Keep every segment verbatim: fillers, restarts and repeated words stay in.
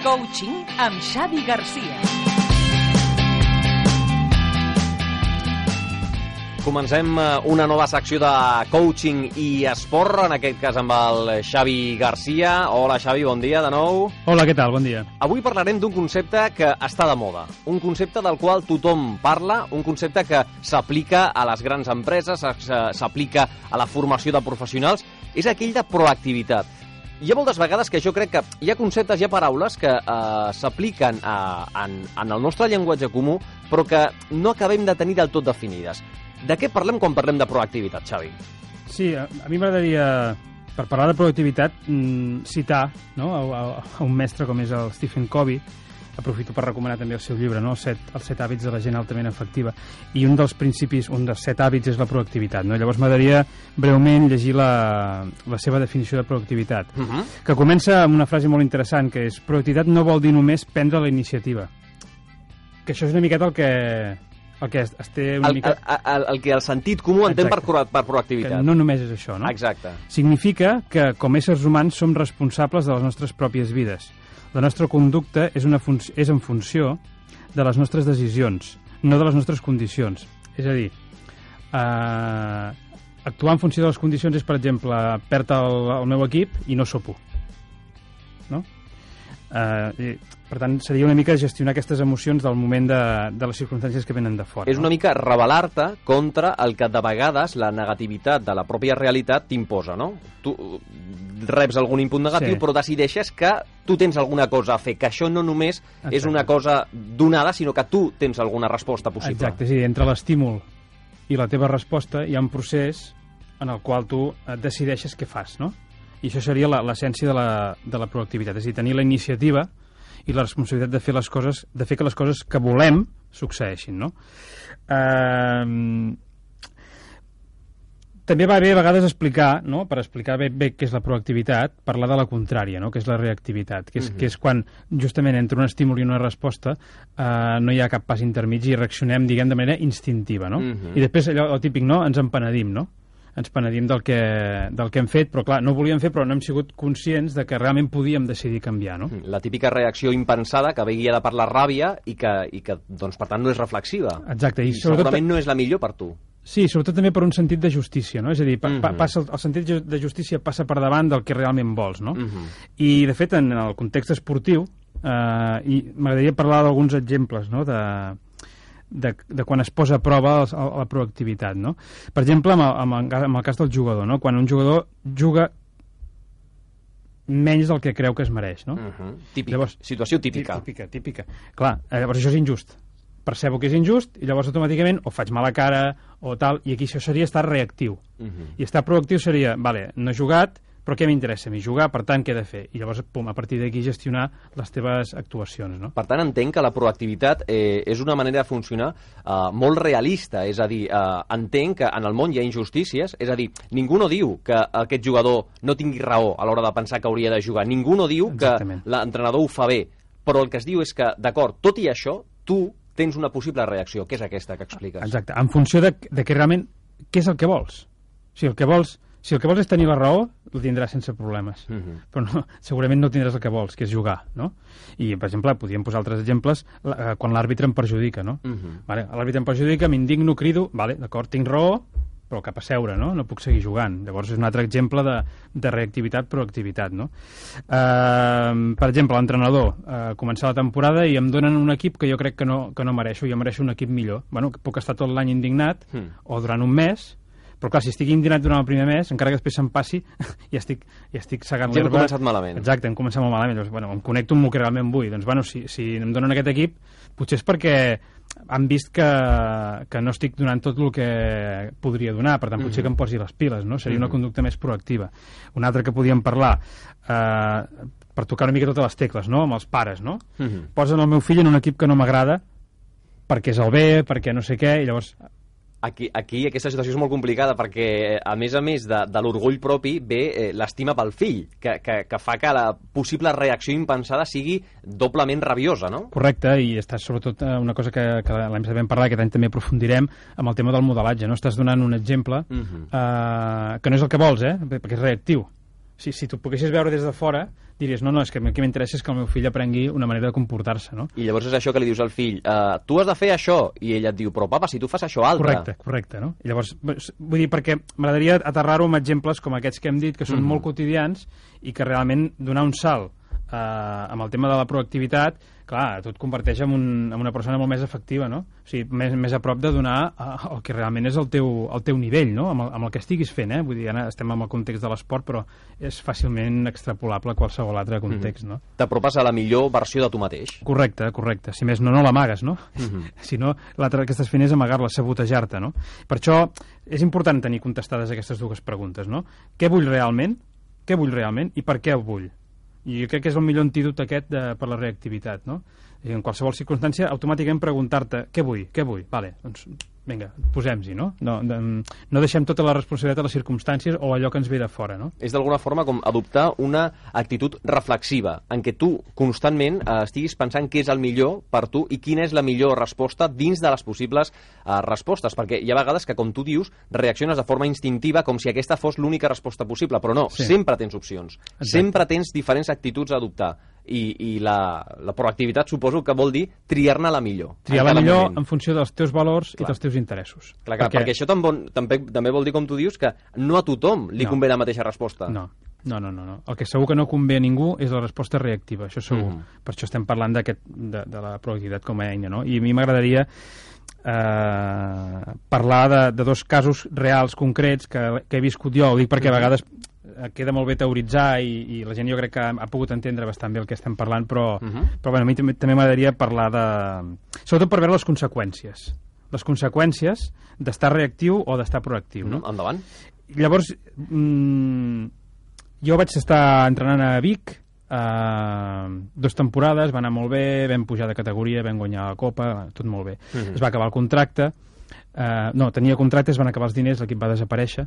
Coaching amb Xavi Garcia. Comencem una nova secció de coaching i esport, en aquest cas amb el Xavi Garcia. Hola Xavi, bon dia de nou. Hola, què tal? Bon dia. Avui parlarem d'un concepte que està de moda, un concepte del qual tothom parla, un concepte que s'aplica a les grans empreses, s'aplica a la formació de professionals, és aquell de proactivitat. Hi ha moltes vegades que jo crec que hi ha conceptes, hi ha paraules que eh, s'apliquen en, en el nostre llenguatge comú, però que no acabem de tenir del tot definides. De què parlem quan parlem de proactivitat, Xavi? Sí, a, a mi m'agradaria, per parlar de proactivitat, mm, citar no, a, a un mestre com és el Stephen Covey. Aprofito per recomanar també el seu llibre, no? els, set, els set hàbits de la gent altament efectiva. I un dels principis, un dels set hàbits és la proactivitat. No? Llavors m'agradaria breument llegir la, la seva definició de proactivitat, uh-huh. que comença amb una frase molt interessant, que és: proactivitat no vol dir només prendre la iniciativa. Que això és una miqueta el que... El que es té una el, mica... el, el, el que el sentit comú entén per, per proactivitat. Que no només és això, no? Exacte. Significa que, com éssers humans, som responsables de les nostres pròpies vides. La nostra conducta és, una fun és en funció de les nostres decisions, no de les nostres condicions. És a dir, eh, actuar en funció de les condicions és, per exemple, perdre el, el meu equip i no sopo. No? Eh, i, per tant, seria una mica gestionar aquestes emocions del moment de, de les circumstàncies que venen de fora. És una mica rebel·lar-te contra el que de vegades la negativitat de la pròpia realitat t'imposa, no? Tu reps algun input negatiu, sí. però decideixes que tu tens alguna cosa a fer, que això no només Exacte. és una cosa donada, sinó que tu tens alguna resposta possible. Exacte, és a dir, entre l'estímul i la teva resposta hi ha un procés en el qual tu decideixes què fas, no? I això seria l'essència de, la, de la proactivitat, és a dir, tenir la iniciativa i la responsabilitat de fer les coses, de fer que les coses que volem succeeixin, no? Eh, també va bé a vegades explicar, no? Per explicar bé, bé què és la proactivitat, parlar de la contrària, no? Que és la reactivitat, que és, uh-huh. que és quan justament entre un estímul i una resposta eh, no hi ha cap pas intermig i reaccionem, diguem, de manera instintiva, no? Uh-huh. I després allò, el típic, no? Ens empenedim, no? ens penedim del que, del que hem fet, però clar, no ho volíem fer, però no hem sigut conscients de que realment podíem decidir canviar, no? La típica reacció impensada que ve guiada per la ràbia i que, i que doncs, per tant, no és reflexiva. Exacte. I, I segurament no és la millor per tu. Sí, sobretot també per un sentit de justícia, no? És a dir, pa, pa, passa, el sentit de justícia passa per davant del que realment vols, no? Uh-huh. I, de fet, en el context esportiu, eh, i m'agradaria parlar d'alguns exemples, no?, de... De, de quan es posa a prova la, la proactivitat, no? Per exemple, amb el, amb, el, amb el cas del jugador, no? Quan un jugador juga menys del que creu que es mereix, no? Uh-huh. Típic. Llavors, situació típica. Típica, típica. Clar, llavors això és injust. Percebo que és injust i llavors automàticament o faig mala cara o tal, i aquí això seria estar reactiu. Uh-huh. I estar proactiu seria, vale, no he jugat, però què m'interessa a mi? Jugar, per tant, què he de fer? I llavors, pum, a partir d'aquí gestionar les teves actuacions, no? Per tant, entenc que la proactivitat eh, és una manera de funcionar eh, molt realista, és a dir, eh, entenc que en el món hi ha injustícies, és a dir, ningú no diu que aquest jugador no tingui raó a l'hora de pensar que hauria de jugar, ningú no diu Exactament. que l'entrenador ho fa bé, però el que es diu és que, d'acord, tot i això, tu tens una possible reacció, que és aquesta que expliques. Exacte, en funció de, de que realment, què és el que vols? O sigui, el que vols... Si el que vols és tenir la raó, la tindràs sense problemes. Uh-huh. Però no, segurament no tindràs el que vols, que és jugar, no? I, per exemple, podríem posar altres exemples la, quan l'àrbitre em perjudica, no? Uh-huh. Vale, l'àrbitre em perjudica, m'indigno, crido, vale, d'acord, tinc raó, però cap a seure, no? No puc seguir jugant. Llavors és un altre exemple de, de reactivitat, proactivitat, no? Uh, per exemple, l'entrenador, uh, començar la temporada i em donen un equip que jo crec que no, que no mereixo, jo mereixo un equip millor. Bueno, puc estar tot l'any indignat, uh-huh. o durant un mes... Però clar, si estic indignat durant el primer mes, encara que després se'm passi, ja estic, ja estic segant l'herba. Ja hem començat malament. Exacte, hem començat molt malament. Llavors, bueno, em connecto amb el que realment vull. Doncs, bueno, si, si em donen aquest equip, potser és perquè han vist que, que no estic donant tot el que podria donar, per tant, potser uh-huh. que em posi les piles, no? Seria uh-huh. una conducta més proactiva. Una altra que podíem parlar, eh, per tocar una mica totes les tecles, no?, amb els pares, no? Uh-huh. Posen el meu fill en un equip que no m'agrada, perquè és el B, perquè no sé què, i llavors... Aquí, aquí aquesta situació és molt complicada perquè, a més a més de, de l'orgull propi, ve eh, l'estima pel fill, que, que, que fa que la possible reacció impensada sigui doblement rabiosa, no? Correcte, i està sobretot una cosa que, que l'any sabem parlar, que aquest any també aprofundirem, amb el tema del modelatge, no? Estàs donant un exemple uh-huh. eh, que no és el que vols, eh? Perquè és reactiu. Si, si tu poguessis veure des de fora, diries, no, no, és que el que m'interessa és que el meu fill aprengui una manera de comportar-se, no? I llavors és això que li dius al fill, uh, tu has de fer això, i ell et diu, però papa, si tu fas això altre. Correcte, correcte, no? I llavors, vull dir, perquè m'agradaria aterrar-ho amb exemples com aquests que hem dit, que són mm-hmm. molt quotidians i que realment donar un salt eh, amb el tema de la proactivitat, clar, tu et converteix en, un, en una persona molt més efectiva, no? O sigui, més, més a prop de donar el que realment és el teu, el teu nivell, no? Amb el, amb el que estiguis fent, eh? Vull dir, ara estem en el context de l'esport, però és fàcilment extrapolable a qualsevol altre context, mm-hmm. no? T'apropes a la millor versió de tu mateix. Correcte, correcte. Si més no, no l'amagues, no? Mm-hmm. Si no, l'altre que estàs fent és amagar-la, sabotejar-te, no? Per això és important tenir contestades aquestes dues preguntes, no? Què vull realment? Què vull realment? I per què ho vull? I crec que és el millor antídot aquest de, per la reactivitat, no? I en qualsevol circumstància, automàticament preguntar-te què vull, què vull? Vale, doncs vinga, posem-hi, no? No, de, no deixem tota la responsabilitat a les circumstàncies o allò que ens ve de fora, no? És d'alguna forma com adoptar una actitud reflexiva, en què tu constantment eh, estiguis pensant què és el millor per tu i quina és la millor resposta dins de les possibles eh, respostes, perquè hi ha vegades que, com tu dius, reacciones de forma instintiva com si aquesta fos l'única resposta possible, però no, sí. sempre tens opcions, Exacte. sempre tens diferents actituds a adoptar. I, i la, la proactivitat suposo que vol dir triar-ne la millor. Triar la millor moment. En funció dels teus valors clar. I dels teus interessos. Clar, clar, perquè... perquè això també, també, també vol dir, com tu dius, que no a tothom li no. convé la mateixa resposta. No. No, no, no, no. El que segur que no convé a ningú és la resposta reactiva, això segur. Mm -hmm. Per això estem parlant de, de la proactivitat com a eina, no? I a mi m'agradaria eh, parlar de, de dos casos reals, concrets, que, que he viscut jo. Ho dic perquè a vegades queda molt bé teoritzar i, i la gent jo crec que ha pogut entendre bastant bé el que estem parlant, però, uh -huh. però bueno, a mi també, també m'agradaria parlar de... sobretot per veure les conseqüències. Les conseqüències d'estar reactiu o d'estar proactiu, no? Uh -huh. Endavant. Llavors, mmm, jo vaig estar entrenant a Vic eh, dues temporades, va anar molt bé, vam pujar de categoria, vam guanyar la Copa, tot molt bé. Uh -huh. Es va acabar el contracte, Uh, no, tenia contractes, van acabar els diners, l'equip va desaparèixer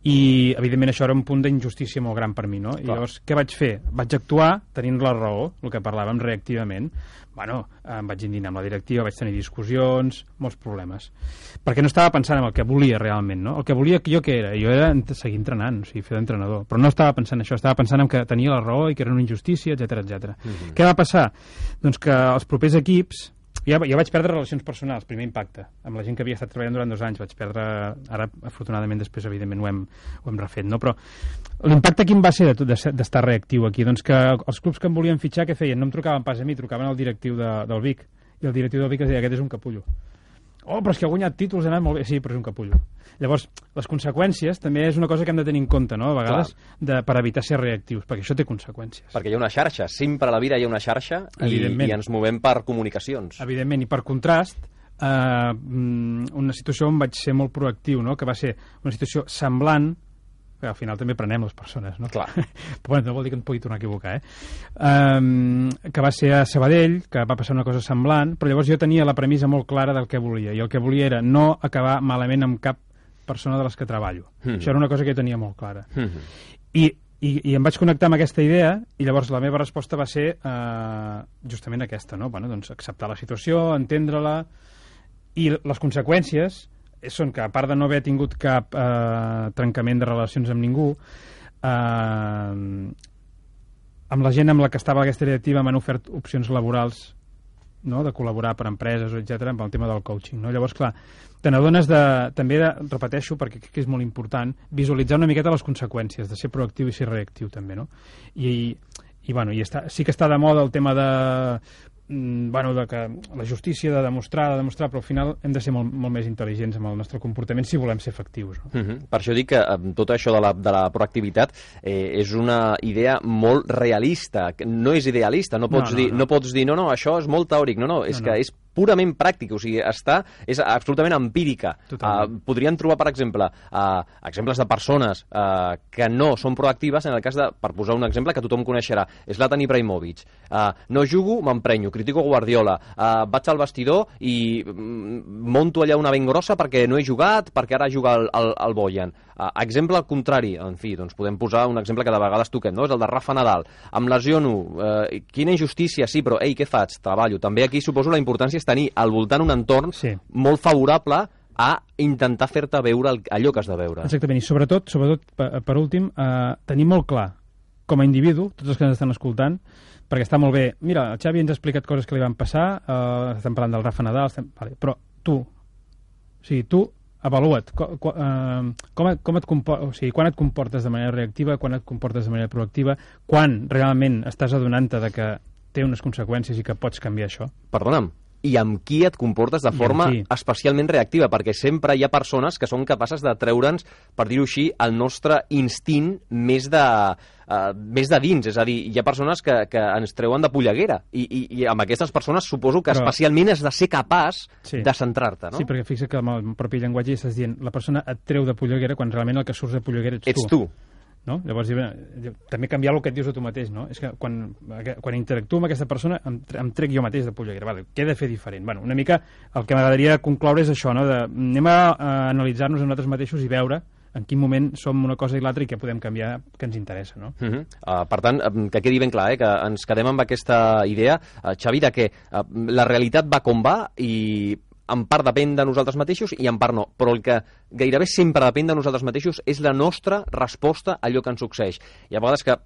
i evidentment això era un punt d'injustícia molt gran per mi, no? I llavors què vaig fer? Vaig actuar tenint la raó, el que parlàvem reactivament. Bueno, em vaig indinar amb la directiva, vaig tenir discussions, molts problemes, perquè no estava pensant en el que volia realment, no? El que volia jo què era? Jo era seguir entrenant, o sigui, fer d'entrenador, però no estava pensant en això, estava pensant en que tenia la raó i que era una injustícia, etcètera, etcètera. Mm-hmm. Què va passar? Doncs que els propers equips Jo, jo vaig perdre relacions personals, primer impacte. Amb la gent que havia estat treballant durant dos anys vaig perdre... Ara, afortunadament, després, evidentment, ho hem, ho hem refet, no? Però l'impacte quin va ser d'estar reactiu aquí? Doncs que els clubs que em volien fitxar, què feien? No em trucaven pas a mi, trucaven al directiu de, del Vic. I el directiu del Vic es deia, aquest és un capullo. Oh, però és que ha guanyat títols, ha anat molt bé. Sí, però és un capullo. Llavors, les conseqüències també és una cosa que hem de tenir en compte, no? A vegades, de, per evitar ser reactius, perquè això té conseqüències. Perquè hi ha una xarxa, sempre a la vida hi ha una xarxa i, i ens movem per comunicacions. Evidentment, i per contrast, eh, una situació on vaig ser molt proactiu, no? Que va ser una situació semblant, que al final també prenem les persones, no? Clar. Però bueno, no vol dir que em pugui tornar a equivocar, eh? Um, que va ser a Sabadell, que va passar una cosa semblant, però llavors jo tenia la premissa molt clara del que volia, i el que volia era no acabar malament amb cap persona de les que treballo. Mm-hmm. Això era una cosa que jo tenia molt clara. Mm-hmm. I, i, I em vaig connectar amb aquesta idea, i llavors la meva resposta va ser uh, justament aquesta, no? Bueno, doncs acceptar la situació, entendre-la, i les conseqüències són que, a part de no haver tingut cap eh, trencament de relacions amb ningú, eh, amb la gent amb la que estava aquesta directiva m'han ofert opcions laborals, no?, de col·laborar per empreses, etcètera, amb el tema del coaching, no? Llavors, clar, te n'adones de, també, de, repeteixo, perquè crec que és molt important, visualitzar una miqueta les conseqüències de ser proactiu i ser reactiu, també, no? I, i bueno, i està, sí que està de moda el tema de... bueno, de que la justícia de demostrar, de demostrar, però al final hem de ser molt, molt més intel·ligents amb el nostre comportament si volem ser efectius. No? Uh-huh. Per això dic que eh, tot això de la, de la proactivitat eh, és una idea molt realista, no és idealista, no pots, no, no, dir, no. no pots dir no, no, això és molt teòric, no, no, és no, que no. és purament pràctica, o sigui, està, és absolutament empírica. Uh, podrien trobar, per exemple, uh, exemples de persones uh, que no són proactives, en el cas de, per posar un exemple que tothom coneixerà, Zlatan Ibrahimovic. Uh, no jugo, m'emprenyo, critico Guardiola, uh, vaig al vestidor i mm, monto allà una ben grossa perquè no he jugat, perquè ara juga el, el, el Bojan. Uh, exemple al contrari, en fi, doncs podem posar un exemple que de vegades toquem, no? És el de Rafa Nadal. Em lesiono, uh, quina injustícia, sí, però ei, què faig? Treballo. També aquí suposo la importància és tenir al voltant un entorn sí. molt favorable a intentar fer-te veure el, allò que has de veure. Exactament, i sobretot, sobretot per, per últim, eh, tenir molt clar com a individu, tots els que ens estan escoltant, perquè està molt bé, mira, el Xavi ens ha explicat coses que li van passar, eh, estem parlant del Rafa Nadal, estem... vale, però tu, o sigui, tu avalua't, com, com, com et compor... o sigui, quan et comportes de manera reactiva, quan et comportes de manera proactiva, quan realment estàs adonant-te de que té unes conseqüències i que pots canviar això. Perdona'm, i amb qui et comportes de forma especialment reactiva, perquè sempre hi ha persones que són capaces de treure'ns, per dir-ho així, el nostre instint més de, uh, més de dins, és a dir, hi ha persones que, que ens treuen de polleguera, i, i, i amb aquestes persones suposo que Però... especialment has de ser capaç sí. de centrar-te, no? Sí, perquè fixa que amb el propi llenguatge estàs dient la persona et treu de polleguera quan realment el que surts de polleguera ets, ets tu. tu. No? Llavors, també canviar el que et dius a tu mateix, no? És que quan, quan interactuo amb aquesta persona em, em trec jo mateix de polleguera. Vale, què he de fer diferent? Bueno, una mica el que m'agradaria concloure és això, no? De, anem a, a analitzar-nos a nosaltres mateixos i veure en quin moment som una cosa i l'altra i què podem canviar que ens interessa, no? Uh -huh. uh, per tant, que quedi ben clar, eh, que ens quedem amb aquesta idea, uh, Xavi, de que uh, la realitat va com va i en part depèn de nosaltres mateixos i en part no, però el que gairebé sempre depèn de nosaltres mateixos és la nostra resposta a allò que ens succeeix. Hi ha vegades que,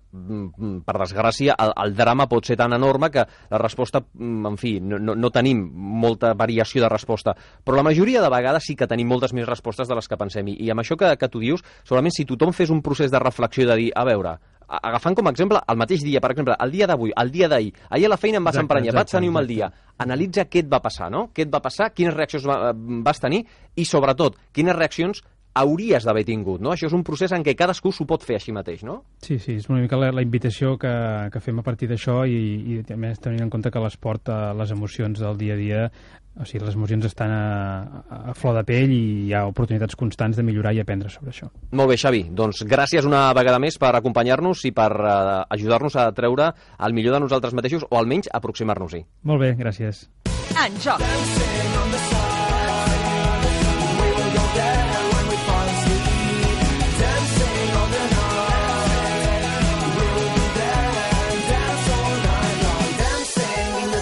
per desgràcia, el, el drama pot ser tan enorme que la resposta, en fi, no, no, no tenim molta variació de resposta, però la majoria de vegades sí que tenim moltes més respostes de les que pensem. I, i amb això que, que tu dius, segurament si tothom fes un procés de reflexió de dir, a veure, agafant com a exemple el mateix dia, per exemple, el dia d'avui, el dia d'ahir, ahir a la feina em vas emprenyar, vaig tenir un mal dia, analitza què et va passar, no? Què et va passar, quines reaccions va, vas tenir i, sobretot, quines reaccions hauries d'haver tingut, no? Això és un procés en què cadascú s'ho pot fer així mateix, no? Sí, sí, és una mica la, la invitació que, que fem a partir d'això i, i a més tenint en compte que l'esport, les emocions del dia a dia, o sigui, les emocions estan a, a flor de pell i hi ha oportunitats constants de millorar i aprendre sobre això. Molt bé, Xavi, doncs gràcies una vegada més per acompanyar-nos i per uh, ajudar-nos a treure el millor de nosaltres mateixos o almenys aproximar-nos-hi. Molt bé, gràcies. En joc.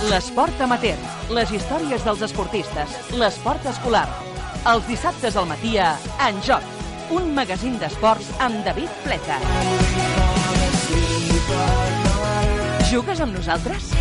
L'esport amateur, les històries dels esportistes, l'esport escolar. Els dissabtes al matí a En Joc, un magazín d'esports amb David Pleta. Jugues amb nosaltres?